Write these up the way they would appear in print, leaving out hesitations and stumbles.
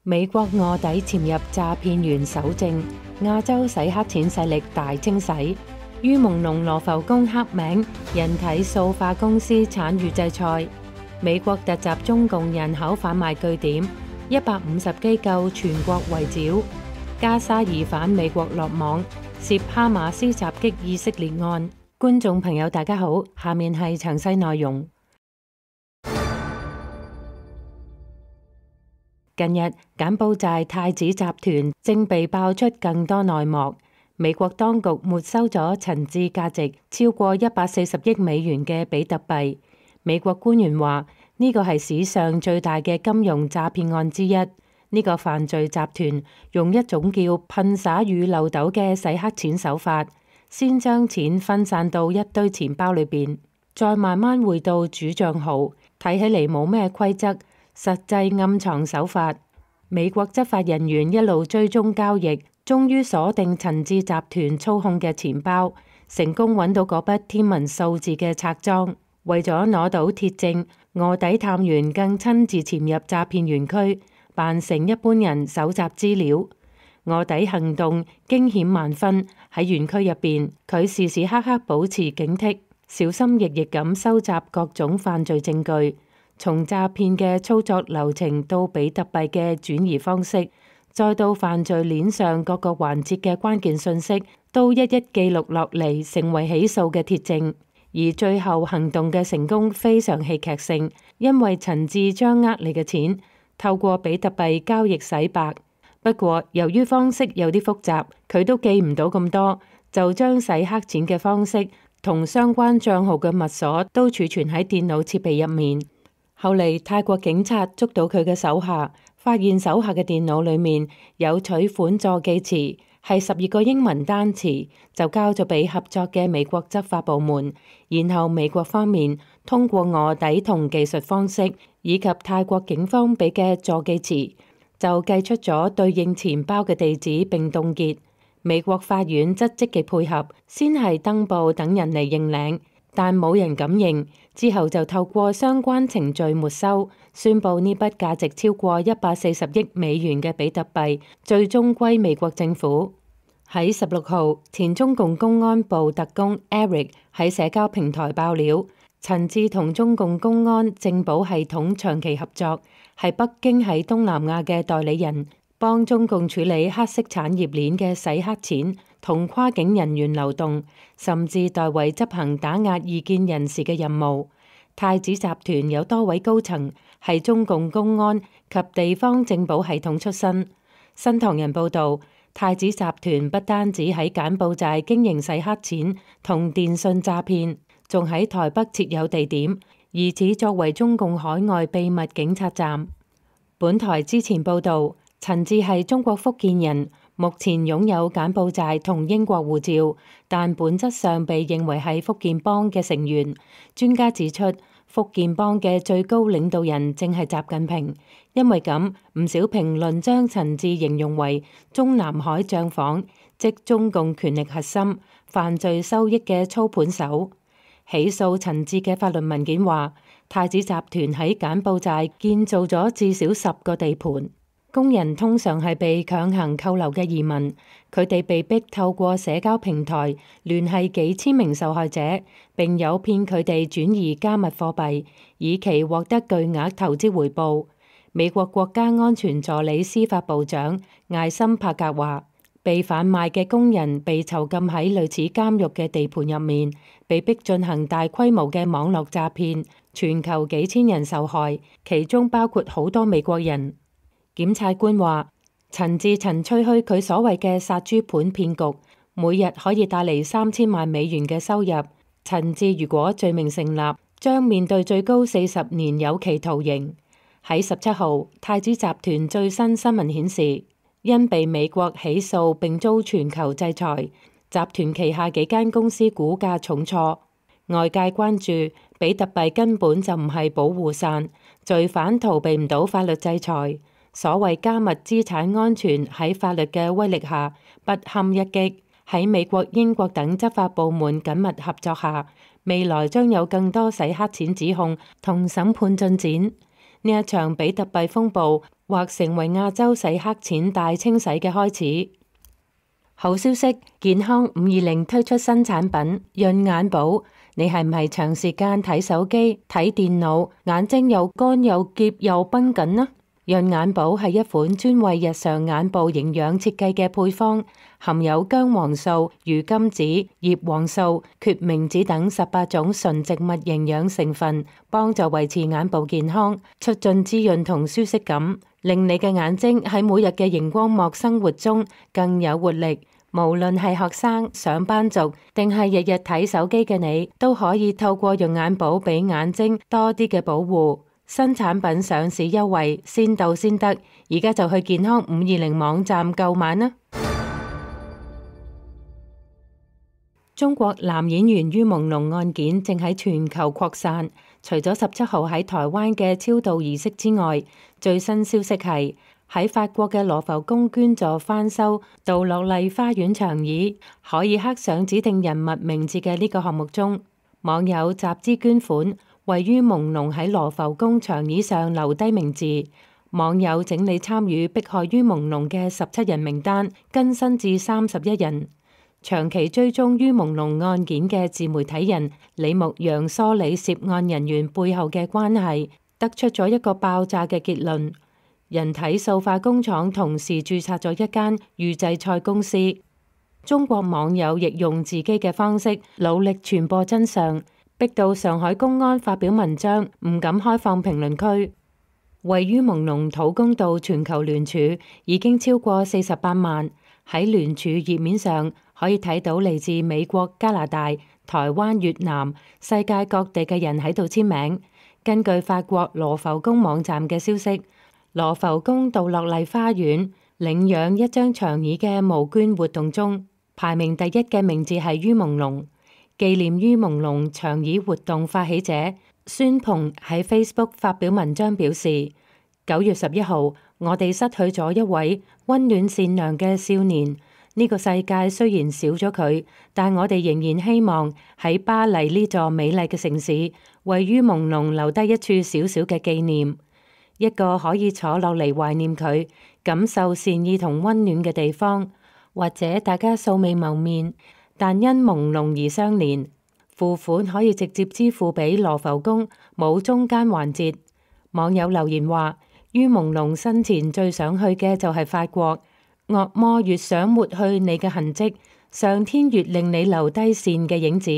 美國臥底潛入詐騙員搜證，亞洲洗黑錢勢力大清洗。於朦朧羅浮宮黑名，人體塑化公司慘遇制裁。美國突襲中共人口販賣據點，150機構全國圍剿。加沙疑犯美國落網，涉哈馬斯襲擊以色列案。觀眾朋友大家好，下面係詳細內容。近日，柬埔寨太子集團正被爆出更多內幕。美國當局沒收咗陳志價值超過140億美元嘅比特幣。美國官員話，呢個係史上最大嘅金融詐騙案之一。呢個犯罪集團用一種叫噴灑與漏斗嘅洗黑錢手法，先將錢分散到一堆錢包裏邊，再慢慢匯到主帳號。睇起嚟冇咩規則，實際暗藏手法。美國執法人員一路追蹤交易，終於鎖定陳志集團操控嘅錢包，成功揾到嗰筆天文數字嘅冊贓。為咗攞到鐵證，臥底探員更親自潛入詐騙園區，扮成一般人搜集資料。臥底行動驚險萬分，喺園區入邊，佢時時刻刻保持警惕，小心翼翼咁收集各種犯罪證據。從詐騙嘅操作流程到比特幣嘅轉移方式，再到犯罪鏈上各個環節嘅關鍵信息，都一一記錄落嚟，成為起訴嘅鐵證。而最後行動嘅成功非常戲劇性，因為陳志將呃你嘅錢透過比特幣交易洗白。不過由於方式有啲複雜，佢都記唔到咁多，就將洗黑錢嘅方式同相關賬號嘅密鎖都儲存喺電腦設備入面。後嚟泰國警察捉到佢嘅手下，發現手下嘅電腦裏面有取款助記詞，係12個英文單詞，就交咗俾合作嘅美國執法部門。然後美國方面通過臥底同技術方式，以及泰國警方俾嘅助記詞，就計出咗對應錢包嘅地址並凍結。美國法院則積極配合，先係登報等人嚟認領，但冇人敢認。之後就透過相關程序沒收，宣布呢筆價值超過140億美元嘅比特幣最終歸美國政府。喺16號，前中共公安部特工 Eric 喺社交平台爆料，陳志同中共公安政保系統長期合作，係北京喺東南亞嘅代理人，幫中共處理黑色產業鏈嘅洗黑錢同跨境人員流動，甚至代為執行打壓異見人士嘅任務。太子集團有多位高層係中共公安及地方政保系統出身。新唐人報導，太子集團不單止喺柬埔寨經營洗黑錢同電信詐騙，仲喺台北設有地點，疑似作為中共海外秘密警察站。本台之前報導，陳志係中國福建人，目前擁有柬埔寨同英國護照，但本質上被認為係福建幫嘅成員。專家指出，福建幫嘅最高領導人正係習近平，因為咁，唔少評論將陳志形容為中南海帳房，即中共權力核心、犯罪收益嘅操盤手。起訴陳志嘅法律文件話，太子集團喺柬埔寨建造咗至少10個地盤。工人通常係被強行扣留嘅移民，佢哋被逼透過社交平台聯繫幾千名受害者，並誘騙佢哋轉移加密貨幣，以期獲得巨額投資回報。美國國家安全助理司法部長艾森帕格話，被販賣嘅工人被囚禁喺類似監獄嘅地盤入面，被逼進行大規模嘅網絡詐騙，全球幾千人受害，其中包括好多美國人。檢察官話，陳志曾吹噓佢所謂嘅殺豬盤騙局，每日可以帶嚟3000萬美元嘅收入。陳志如果罪名成立，將面對最高40年有期徒刑。喺17號，太子集團最新新聞顯示，因被美國起訴並遭全球制裁，集團旗下幾間公司股價重挫。外界關注比特幣根本就唔係保護傘，罪犯逃避唔到法律制裁。所謂加密資產安全喺法律嘅威力下不堪一擊。喺美國、英國等執法部門緊密合作下，未來將有更多洗黑錢指控同審判進展。呢一場比特幣風暴或成為亞洲洗黑錢大清洗嘅開始。好消息，健康520推出新產品潤眼寶。你係唔係長時間睇手機、睇電腦，眼睛又乾又澀又繃緊呢？潤眼寶係一款專為日常眼部營養設計嘅配方，含有薑黃素、魚甘子、葉黃素、決明子等18種純植物營養成分，幫助維持眼部健康，促進滋潤同舒適感，令你嘅眼睛喺每日嘅熒光幕生活中更有活力。無論係學生、上班族，定係日日睇手機嘅你，都可以透過潤眼寶俾眼睛多啲嘅保護。新產品上市優惠，先到先得，而家就去健康520網站購買啦！中國男演員于朦朧案件正喺全球擴散，除咗17號喺台灣嘅超度儀式之外，最新消息係喺法國嘅羅浮宮捐助翻修杜樂麗花園長椅，可以刻上指定人物名字嘅呢個項目中，網友集資捐款，為于朦朧喺羅浮宮長椅上留低名字。網友整理參與迫害于朦朧嘅17人名單，更新至31人。長期追蹤于朦朧案件嘅自媒體人李牧陽梳理涉案人員背後嘅關係，得出咗一個爆炸嘅結論：人體塑化工廠同時註冊咗一間預製菜公司。中國網友亦用自己嘅方式努力傳播真相，逼到上海公安發表文章，唔敢開放評論區。為于朦朧討公道全球聯署已經超過48萬，喺聯署頁面上可以睇到嚟自美國、加拿大、台灣、越南、世界各地嘅人喺度簽名。根據法國羅浮宮網站嘅消息，羅浮宮杜樂麗花園領養一張長椅嘅募捐活動中，排名第1嘅名字係于朦朧。紀念于朦朧長椅活動發起者孫鵬喺 Facebook 發表文章表示：9月11號，我哋失去咗一位溫暖善良嘅少年。呢個世界雖然少咗佢，但我哋仍然希望喺巴黎呢座美麗嘅城市，為于朦朧留低一處小小嘅紀念，一個可以坐落嚟懷念佢、感受善意同溫暖嘅地方。或者大家素未謀面，但因朦朧而相連，付款可以直接支付俾羅浮宮，冇中間環節。網友留言話：于朦朧生前最想去嘅就係法國，惡魔越想抹去你嘅痕跡，上天越令你留低善嘅影子。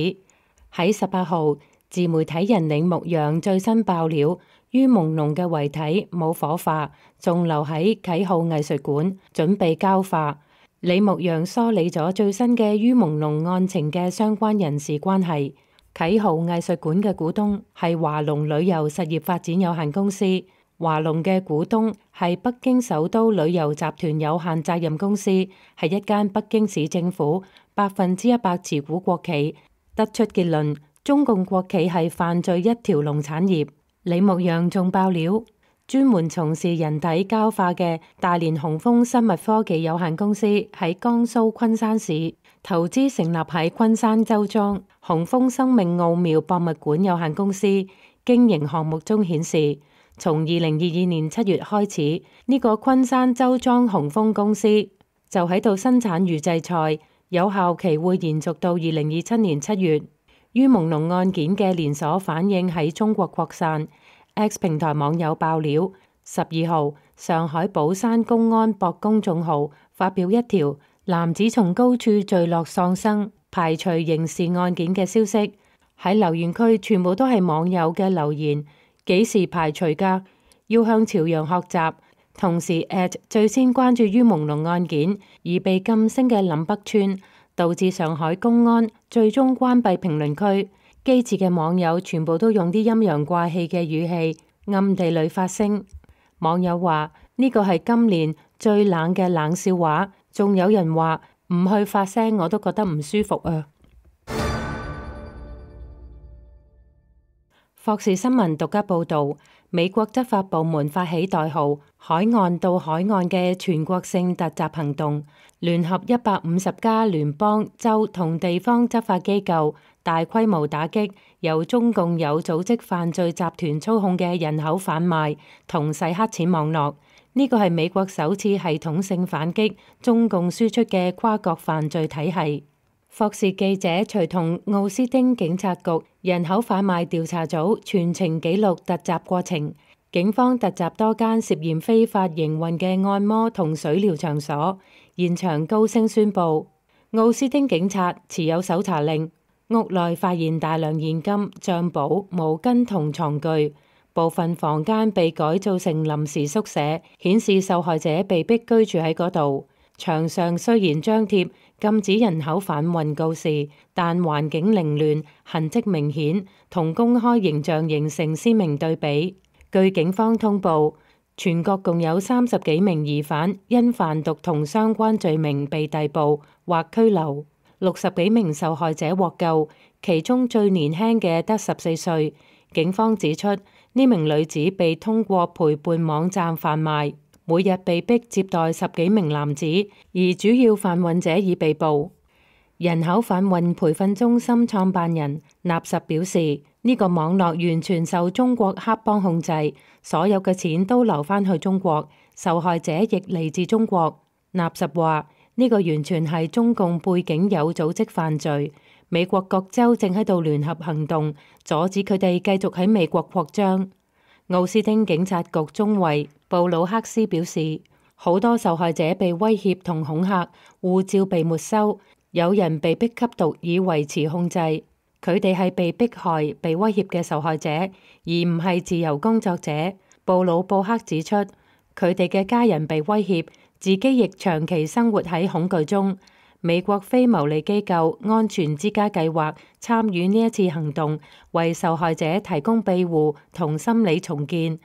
喺18號，自媒體人李牧陽最新爆料，于朦朧嘅遺體冇火化，仲留喺啟浩藝術館準備交化。李牧陽梳理咗最新嘅于朦朧案情嘅相關人事關係。啟浩藝術館嘅股東係華龍旅遊實業發展有限公司，華龍嘅股東係北京首都旅遊集團有限責任公司，係一間北京市政府100%持股國企。得出結論，中共國企係犯罪一條龍產業。李牧陽仲爆料，專門從事人體膠化嘅大連雄豐生物科技有限公司喺江蘇昆山市投資成立喺昆山周莊雄豐生命奧妙博物館有限公司經營項目中顯示，從2022年7月開始，呢個昆山周莊雄豐公司就喺度生產預製菜，有效期會延續到2027年7月。于朦朧案件嘅連鎖反應喺中國擴散。X 平台網友爆料，12號上海寶山公安博公眾號發表一條男子從高處墜落喪生排除刑事案件嘅消息。喺留言區全部都係網友嘅留言，幾時排除㗎？要向朝陽學習。同時最先關注于朦朧案件而被禁聲嘅林北川，導致上海公安最終關閉評論區。機智嘅網友全部都用啲陰陽怪氣嘅語氣暗地裏發聲。網友話呢個係今年最冷嘅冷笑話，仲有人話唔去發聲我都覺得唔舒服啊。霍士新聞獨家報導，美國執法部門發起代號「海岸到海岸」嘅全國性突襲行動，聯合150家聯邦、州同地方執法機構，大規模打擊由中共有組織犯罪集團操控嘅人口販賣同洗黑錢網絡。呢個係美國首次系統性反擊中共輸出嘅跨國犯罪體系。霍士記者隨同奧斯汀警察局人口販賣調查組全程記錄突襲過程。警方突襲多間涉嫌非法營運嘅按摩同水療場所，現場高聲宣佈，奧斯汀警察持有搜查令。屋內發現大量現金、帳簿、毛巾同床具，部分房間被改造成臨時宿舍，顯示受害者被逼居住喺嗰度。牆上雖然張貼禁止人口販運告示，但環境凌亂、痕跡明顯，同公開形象形成鮮明對比。據警方通報，全國共有30幾名疑犯因販毒同相關罪名被逮捕或拘留，60幾名受害者獲救，其中最年輕嘅得14歲。警方指出，呢名女子被通過陪伴網站販賣，每日被逼接待10幾名男子，而主要販運者已被捕。人口販運培訓中心創辦人納什表示，呢個網絡完全受中國黑幫控制，所有嘅錢都流返去中國，受害者亦嚟自中國。納什話，呢個完全係中共背景有組織犯罪，美國各州正喺度聯合行動，阻止佢哋繼續喺美國擴張。奧斯汀警察局中尉布魯克斯表示，好多受害者被威脅同恐嚇，護照被沒收，有人被逼吸毒以維持控制。佢哋係被迫害、被威脅嘅受害者，而唔係自由工作者。布魯布克指出，佢哋嘅家人被威脅，自己亦長期生活喺恐懼中。美國非牟利機構安全之家計劃參與呢一次行動，為受害者提供庇護同心理重建。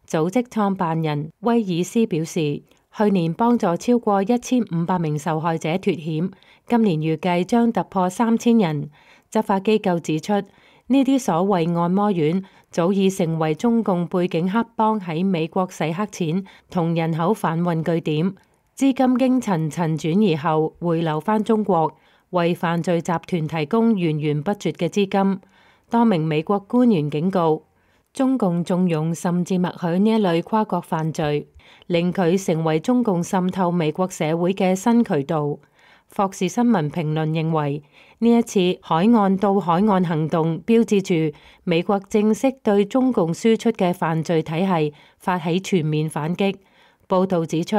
組織創辦人威爾斯表示，去年幫助超過1500名受害者脫險，今年預計將突破3000人。執法機構指出，呢啲所謂按摩院早已成為中共背景黑幫喺美國洗黑錢同人口販運據點。資金經層層轉移後回流返中國，為犯罪集團提供源源不絕嘅資金。多名美國官員警告，中共縱容甚至默許呢一類跨國犯罪，令佢成為中共滲透美國社會嘅新渠道。霍士新聞評論認為，呢一次海岸到海岸行動標誌住美國正式對中共輸出嘅犯罪體系發起全面反擊。報導指出，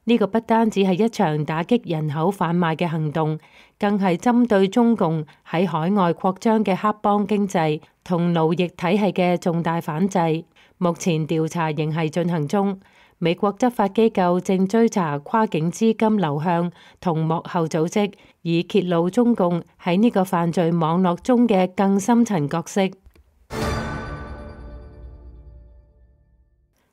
呢個不單止係一場打擊人口販賣嘅行動，更係針對中共喺海外擴張嘅黑幫經濟同奴役體系嘅重大反制。目前調查仍係進行中，美國執法機構正追查跨境資金流向同幕後組織，以揭露中共喺呢個犯罪網絡中嘅更深層角色。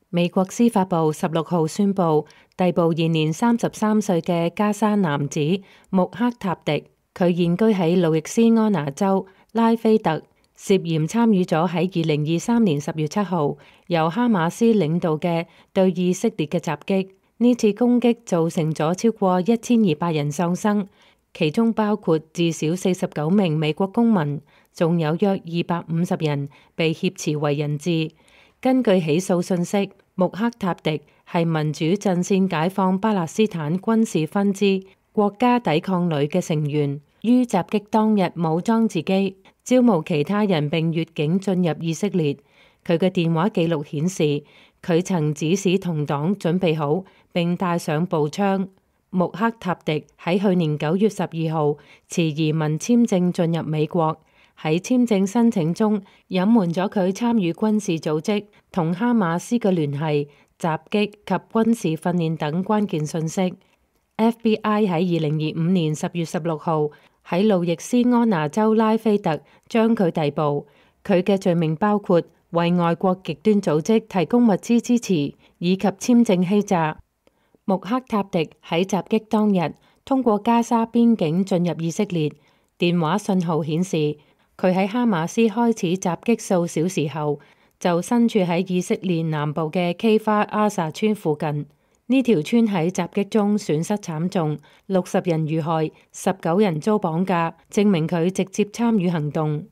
美國司法部16號宣布逮捕現年33歲嘅加沙男子穆克塔迪，佢現居喺路易斯安那州拉菲特，涉嫌參與咗喺2023年10月7號由哈馬斯領導嘅對以色列嘅襲擊。呢次攻擊造成咗超過1200人喪生，其中包括至少49名美國公民，仲有約250人被挾持為人質。根據起訴信息，穆克塔迪係民主陣線解放巴勒斯坦軍事分支國家抵抗旅嘅成員，於襲擊當日武裝自己，招募其他人並越境進入以色列。佢嘅電話記錄顯示，佢曾指使同黨準備好並帶上步槍。穆克塔迪喺去年9月12號持移民簽證進入美國，喺簽證申請中隱瞞咗佢參與軍事組織同哈馬斯嘅聯繫、襲擊及軍事訓練等關鍵信息。FBI 喺2025年10月16號喺路易斯安那州拉菲特將佢逮捕，佢嘅罪名包括為外國極端組織提供物資支持以及簽證欺詐。穆克塔迪喺襲擊當日通過加沙邊境進入以色列，電話信號顯示佢喺哈馬斯開始襲擊數小時後，就身處喺以色列南部嘅基法阿薩村附近。呢條村喺襲擊中損失慘重，60人遇害，19人遭綁架，證明佢直接參與行動。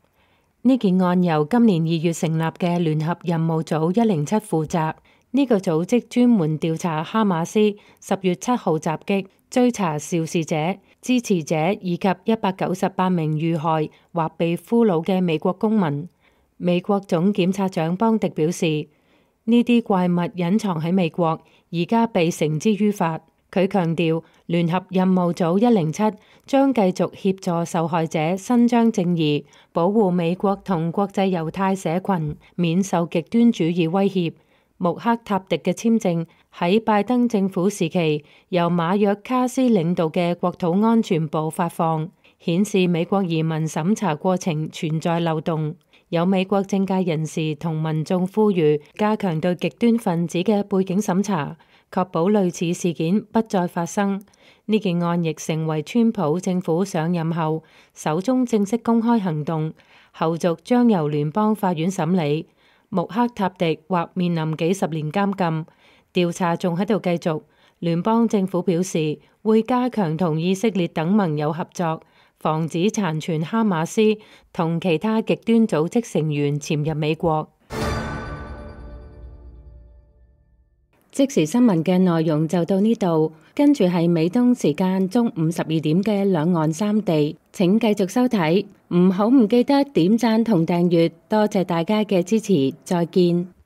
呢件案由今年2月成立嘅聯合任務組107負責。呢個組織專門調查哈馬斯10月7號襲擊，追查肇事者、支持者以及198名遇害或被俘虜嘅美國公民。美國總檢察長邦迪表示，呢啲怪物隱藏喺美國，而家被繩之於法。佢強調，聯合任務組107將繼續協助受害者伸張正義，保護美國同國際猶太社群免受極端主義威脅。穆克塔迪嘅簽證喺拜登政府時期由馬約卡斯領導嘅國土安全部發放，顯示美國移民審查過程存在漏洞。有美國政界人士同民眾呼籲加強對極端分子嘅背景審查，確保類似事件不再發生。呢件案亦成為川普政府上任後首宗正式公開行動，後續將由聯邦法院審理。穆克塔迪或面臨幾十年監禁。調查仲喺度繼續。聯邦政府表示會加強同以色列等盟友合作，防止殘存哈馬斯同其他極端組織成員潛入美國。即時新聞嘅內容就到呢度，跟住係美東時間中午12點嘅兩岸三地，請繼續收睇，唔記得點讚同訂閱，多謝大家嘅支持，再見。